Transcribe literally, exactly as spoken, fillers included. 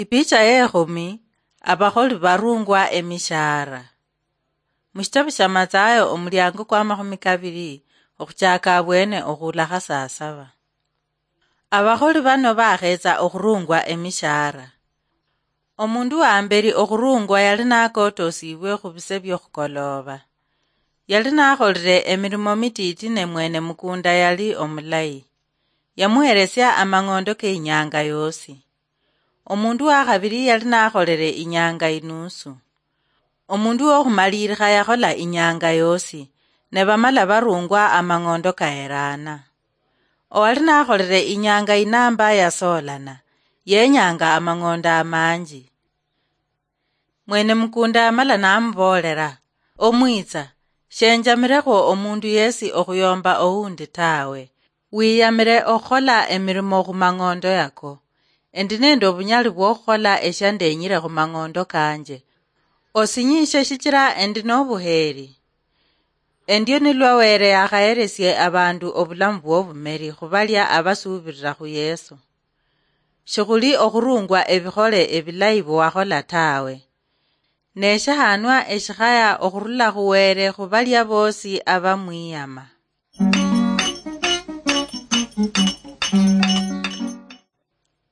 Ipicha yekhumi, abakholi barungwa emishahara. Mushitabu sha Mathayo omulyango kwa makhumi kabiri, okhuchaka abwene okhuula kha saa saba. Abakholi bano bakhetsa okhurungwa emishahara. Omundu wa mberi okhurungwa yali nakotosibwe khubise byokhukoloba. Yali nakholire emirimo mititi ne mwene mukunda yali omulayi. Yamuheresia amang'ondo ke inyanga yosi. Omundu wa khabiri yali nakholere inyanga inusu. Omundu wokhumalirikha yakhola inyanga yosi, ne bamala barungwa amang'ondo kaherana. Owali nakholere inyanga inamba yasoolana, yenyanga amang'ondo amanji. Mwene mukunda yamala namuboolera, "Omwitsa, shenjamirekhwo omundu yesi okhuyomba oundi tawe. Wiyamire okhukhola emirimo khumang'ondo yako. Endi nende obunyali bwokhukhola eshandenyire khumang'ondo kanje. Osinyishe shichira endi nobuheri." Endio nilwa Were yakhaheresie abandu obulamu bwobumeri khubalia abasuubirira khu Yesu. Shikhuli okhurungwa ebikhole ebilayi biwakhola tawe. Ne shahanwa eshikhaya okhurula khu Were khubalia bosi abamwiyama.